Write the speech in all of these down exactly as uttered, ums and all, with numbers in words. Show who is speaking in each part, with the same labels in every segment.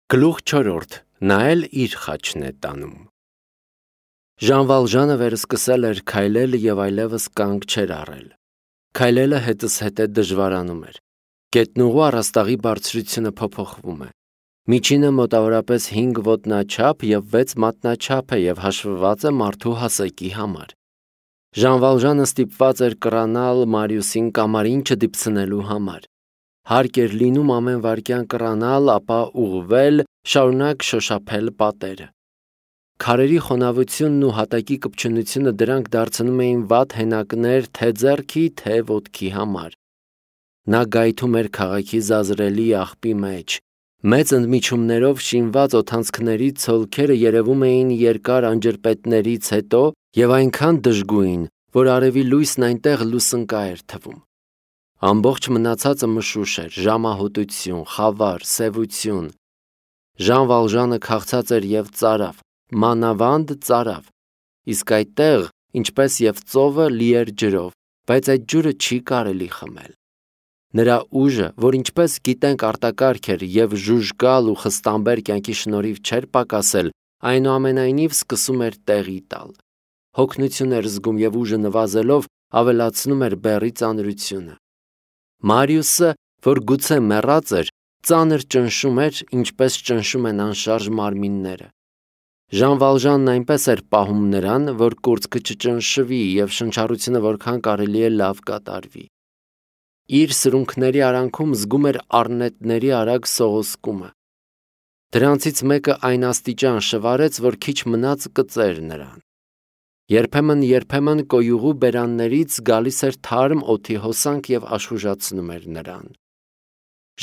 Speaker 1: Գլուխ չորրորդ. Նա էլ իր խաչն է տանում։ Ժան Վալժանը վերսկսել էր քայլել և այլևս կանգ չէր առել։ Քայլելը հետզհետե դժվարանում էր։ Գետնուղու առաստաղի բարձրությունը փոփոխվում է։ Միջինը մոտավորապես հինգ ոտնաչափ և վեց մատնաչափ է և հաշվված է մարդու հասակի համար։ Ժան Վալժանը ստիպված էր կռանալ Մարիուսին կամարին չդիպցնելու համար։ Հարկ էր լինում ամեն վայրկյան կռանալ, ապա ուղղվել, շարունակ շոշափել պատերը։ Քարերի խոնավությունն ու հատակի կպչունությունը դրանք դարձնում էին վատ հենակներ թե ձեռքի, թե ոտքի համար։ Նա գայթում էր քաղաքի զազրելի աղբի մեջ։ Մեծ ընդմիջումներով շինված օդանցքների ցոլքերը երևում էին երկար անջրպետներից հետո և այնքան դժգույն, որ արևի լույսն այնտեղ լուսնկա էր թվում։ Ամբողջ մնացածը մշուշ էր, ժամահոտություն, խավար, սևություն։ Ժան Վալժանը քաղցած էր և ծարավ, մանավանդ ծարավ, իսկ այդտեղ, ինչպես և ծովը, լի էր ջրով, բայց այդ ջուրը չի կարելի խմել։ Նրա ուժը, որ ինչպես գիտենք արտակարգ էր և ժուժկալ ու խստամբեր կյանքի շնորհիվ չէր պակասել, այնուամենայնիվ սկսում էր տեղի տալ։ Հոգնություն էր զգում և ուժը նվազելով ավելացնում էր բեռի ծանրությունը։ Մարիուսը, որ գուցե մեռած էր, ծանր ճնշում էր, ինչպես ճնշում են անշարժ մարմինները։ Ժան Վալժանն այնպես էր պահում նրան, որ կուրծքը չճնշվի և շնչառությունը որքան կարելի է լավ կատարվի։ Իր սրունքների արանքում զգում էր առնետների արագ սողոսկումը։ Դրանցից մեկը այն աստիճան շվարեց, որ քիչ մնաց կծեր նրան։ Երբեմն-երբեմն կոյուղու բերաններից գալիս էր թարմ օդի հոսանք և աշխուժացնում էր նրան։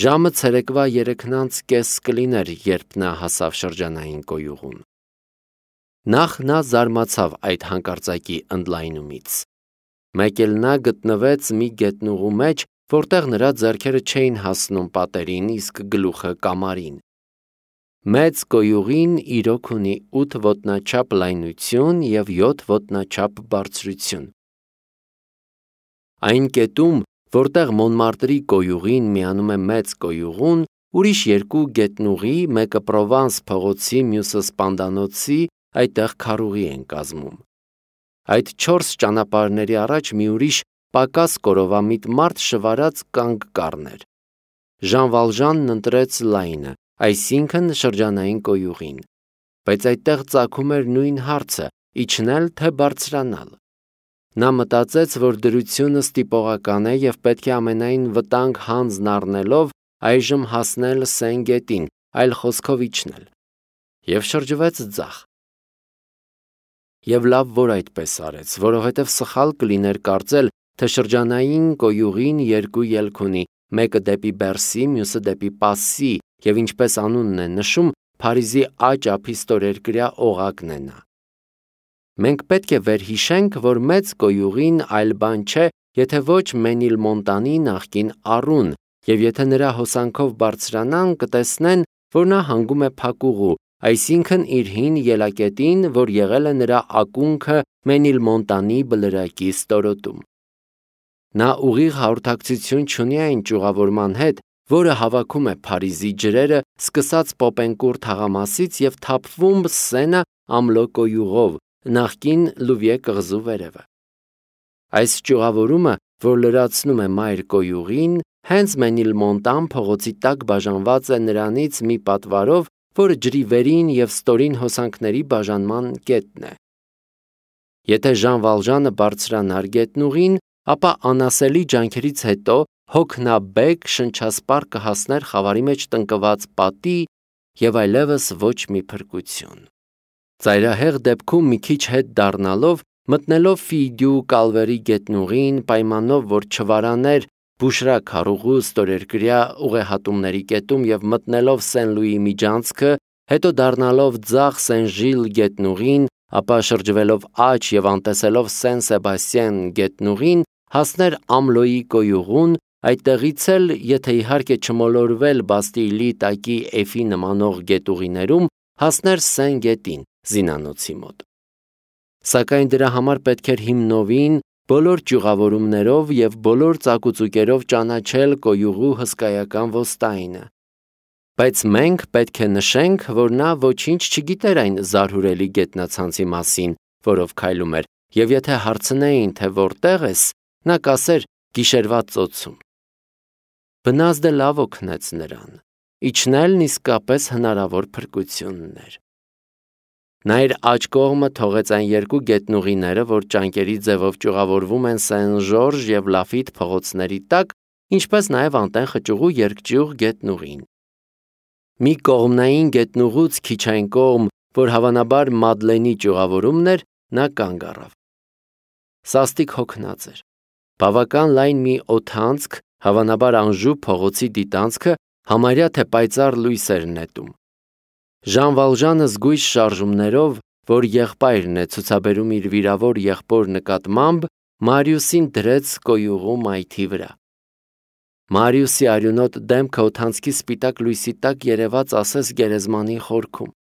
Speaker 1: Ժամը ցերեկվա երեքն անց կես կլիներ, երբ նա հասավ շրջանային կոյուղուն։ Նախ նա զարմացավ այդ հանկարծակի ընդլայնումից։ Մեկ էլ նա գտնվեց մի գետնուղու մեջ, որտեղ նրա ձեռքերը չէին հասնում պատերին, իսկ գլուխը կամարին։ Մեծ կոյուղին իրոք ունի ութ ոտնաչափ լայնություն և յոթ ոտնաչափ բարձրություն։ Այն կետում, որտեղ Մոնմարտրի կոյուղին միանում է մեծ կոյուղուն, ուրիշ երկու գետնուղի, մեկը Պրովանս փողոցի, մյուսը Սպանդանոցի, այդտեղ քարուղի են կազմում։ Այդ չորս ճանապարհների առաջ մի ուրիշ պակաս կորովամիտ մարդ շվարած կանգ կառներ։ Ժան Վալժանն ընտրեց լայնը, այսինքն շրջանային կոյուղին, բայց այդտեղ ծագում էր նույն հարցը՝ իջնել թե բարձրանալ։ Նա մտածեց, որ դրությունը ստիպողական է և պետք է ամենայն վտանգ հանձն առնելով այժմ հասնել Սեն գետին, այլ խոսքով իջնել, և շրջվեց ձախ։ Եվ լավ որ այդպես արեց, որովհետև սխալ կլիներ կարծել, թե շրջանային կոյուղին երկու ելք ունի, մեկը դեպի Բերսի, մյուսը դեպի Պասսի, և ինչպես անունն է նշում, Փարիզի աջ ափի ստորերկրյա օղակն է նա։ Մենք պետք է վերհիշենք, որ մեծ կոյուղին այլ բան չէ, եթե ոչ Մենիլմոնտանի նախկին առուն, և եթե նրա հոսանքով բարձրանան, կտեսնեն, որ նա հանգում է փակուղու, այսինքն իր հին ելակետին, որ եղել է նրա ակունքը Մենիլմոնտանի բլրակի ստորոտում։ Նա ուղիղ հաղորդակցություն չունի այն ճյուղավորման հետ, որը հավաքում է Փարիզի ջրերը, սկսած Պոպենկուր թաղամասից և թափվում Սենը ամլո կոյուղով, նախկին Լուվիե կղզու վերևը։ Այս ճյուղավորումը, որ լրացնում է մայր կոյուղին, հենց Մենիլմոնտան փողոցի տակ բաժանված է նրանից մի պատվարով, որը ջրի վերին և ստորին հոսանքների բաժանման կետն է։ Եթե Ժան Վալժանը բարձրանար գետնուղին, ապա անասելի ջանքերից հետո հոգնաբեկ շնչասպառ կհասներ խավարի մեջ տնկված պատի և այլևս ոչ մի փրկություն։ Ծայրահեղ դեպքում մի քիչ հետ դառնալով, մտնելով Ֆիյդյու կալվերի գետնուղին, պայմանով, որ չվարաներ Բուշրա քարուղու ստորերկրյա ուղեհատումների կետում և մտնելով Սեն Լուիի միջանցքը, հետո դառնալով ձախ Սեն-Ժիլ գետնուղին, ապա շրջվելով աջ և անտեսելով Սեն Սեբաստիեն գետնուղին, հասներ Ամլոյի կոյուղուն, այդտեղից էլ, եթե իհարկե չմոլորվել Բաստիլի տակի էֆի նմանող գետուղիներում, հասներ Սեն գետին, զինանոցի մոտ։ Սակայն դրա համար պետք էր հիմնովին բոլոր ճյուղավորումներով և բոլոր ծակուծուկերով ճանաչել կոյուղու հսկայական ոստայնը։ Բայց մենք պետք է նշենք, որ նա ոչինչ չգիտեր այն զարհուրելի գետնացանցի մասին, որով քայլում էր, եւ եթե հարցնեին, թե որտեղ ես, նա կասեր գիշերվա ծոցում։ Բնազդը լավ օգնեց նրան, իջնելն իսկապես հնարավոր փրկությունն էր։ Նա իր աջ կողմը թողեց այն երկու գետնուղիները, որ ճանկերի ձևով ճյուղավորվում են Սեն-Ժորժ եւ Լաֆիտ փողոցների տակ, ինչպես նաեւ անտեն խճուղու երկճյուղ գետնուղին։ Մի կողմնային գետնուղուց քիչ այն կողմ, որ հավանաբար Մադլենի ճյուղավորումն էր, նա կանգ առավ։ Սաստիկ հոգնած էր։ Բավական լայն մի օդանցք, հավանաբար Անժու փողոցի դիտանցքը, համարյա թե պայծառ լույս էր նետում։ Ժան Վալժանը զգույշ շարժումներով, որ եղբայրն է ցուցաբերում իր վիրավոր եղբոր նկատմամբ, Մարիուսին դրեց կոյուղու մայթի վրա։ Մարիուսի արյունոտ դեմքը օդանցքի սպիտակ լույսի տակ երևաց ասես գերեզմանի խորքում։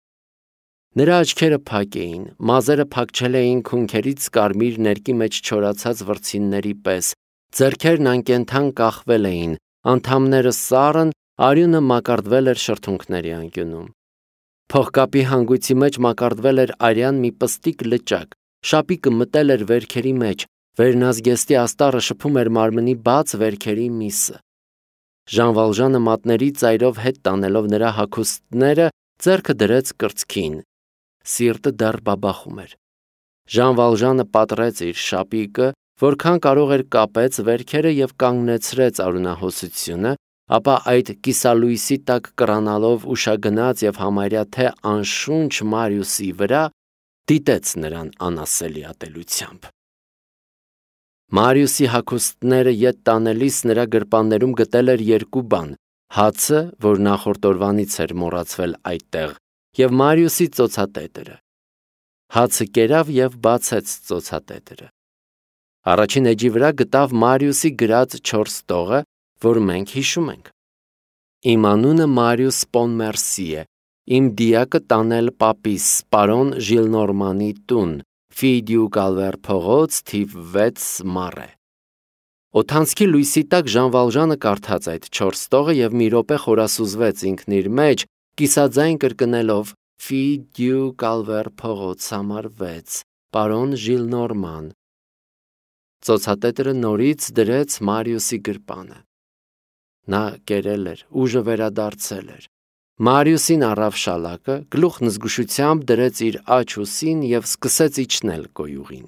Speaker 1: Նրա աչքերը փակ էին, մազերը փակչել էին քունքերից կարմիր ներկի մեջ չորացած վրձինների պես, ձեռքերն անկենդան կախվել էին, անդամները սառն, արյունը մակարդվել էր շրթունքների անկյունում։ Փողկապի հանգույցի մեջ մակարդվել էր արյան մի պստիկ լճակ, շապիկը մտել էր վերքերի մեջ, վերնազգեստի աստառը շփում էր մարմնի բաց վերքերի միսը։ Ժան Վալժանը մատների ծայրով հետ տանելով նրա հագուստները ձեռքը դրեց կրծքին։ Սիրտը դեռ բաբախում էր։ Ժան Վալժանը պատռեց իր շապիկը, որքան կարող էր կապեց վերքերը եւ կանգնեցրեց արյունահոսությունը, ապա այդ կիսալույսի տակ կռանալով ուշագնաց եւ համարյա թե անշունչ Մարիուսի վրա դիտեց նրան անասելի ատելությամբ։ Մարիուսի հագուստները ետ տանելիս նրա գրպաններում գտել էր երկու բան՝ հացը, որ նախորդ օրվանից էր մոռացվել այդտեղ, եւ Մարիուսի ծոցատետերը։ Հացը կերավ եւ բացեց ծոցատետերը։ Առաջին էջի վրա գտավ Մարիուսի գրած չորս տողը, որ մենք հիշում ենք։ Իմ անունը Մարիուս Պոնմերսի է, իմ դիակը տանել պապիս, պարոն Ժիլնորմանի տուն, Ֆիդյու Գալվեր փողոց, թիվ վեց Մարե։ Օդանցքի լույսի տակ Ժան Վալժանը կարդաց այդ չորս տողը եւ մի րոպե խորասուզվեց ինքն իր մեջ, կիսաձայն կրկնելով Ֆիդյու Գալվեր փողոց համար վեց, պարոն Ժիլնորման։ Ծոցատետերը նորից դրեց Մարիուսի գրպանը։ Նա կերել էր, ուժը վերադարձել էր։ Մարիուսին առավ շալակը, գլուխն զգուշությամբ դրեց իր աջ ուսին եւ սկսեց իջնել կոյուղին։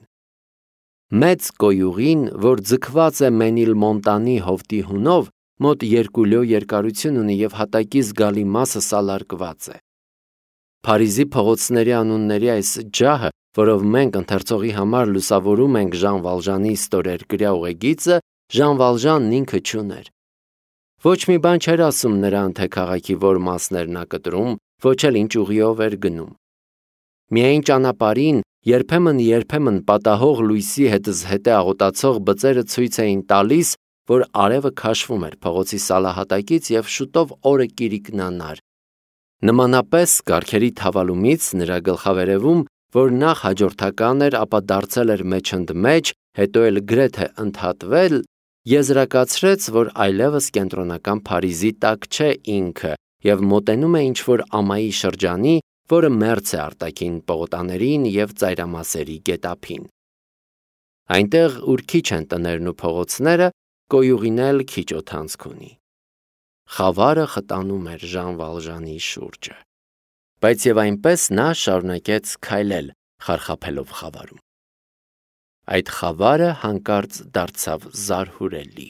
Speaker 1: Մեծ կոյուղին, որ ձգված է Մենիլմոնտանի հովտի հունով, մոտ երկու լյո երկարություն ունի եւ հատակի զգալի մասը սալարկված է։ Փարիզի փողոցների անունների այս ջահը, որով մենք ընթերցողի համար լուսավորում ենք Ժան Վալժանի ստորերկրյա ուղեգիծը, Ժան Վալժանն ինքը չուներ։ Ոչ մի բան չէր ասում նրան, թե քաղաքի որ մասներ նա կտրում, ոչ էլ ինչ ուղիով էր գնում։ Միայն ճանապարհին երբեմն-երբեմն պատահող լույսի հետզհետե աղոտացող բծերը ցույց էին տալիս, որ արևը քաշվում էր փողոցի սալահատակից եւ շուտով օրը կիրիկնանար։ Նմանապես կառքերի թավալումից նրա գլխավերևում, որ նախ հաջորդական էր, ապա դարձել էր մեջընդմեջ, հետո էլ գրեթե ընդհատվել, եզրակացրեց, որ այլևս կենտրոնական Փարիզի տակ չէ ինքը եւ մոտենում է ինչ-որ ամայի շրջանի, որը մերձ է արտաքին պողոտաներին եւ ծայրամասերի գետափին։ Այնտեղ, ուր քիչ են տներն ու փողոցները, կոյուղին էլ քիչ օդանցք ունի։ Խավարը խտանում էր Ժան Վալժանի շուրջը, բայց եւ այնպես նա շարունակեց քայլել, խարխափելով խավարում։ Այդ խավարը հանկարծ դարձավ զարհուրելի։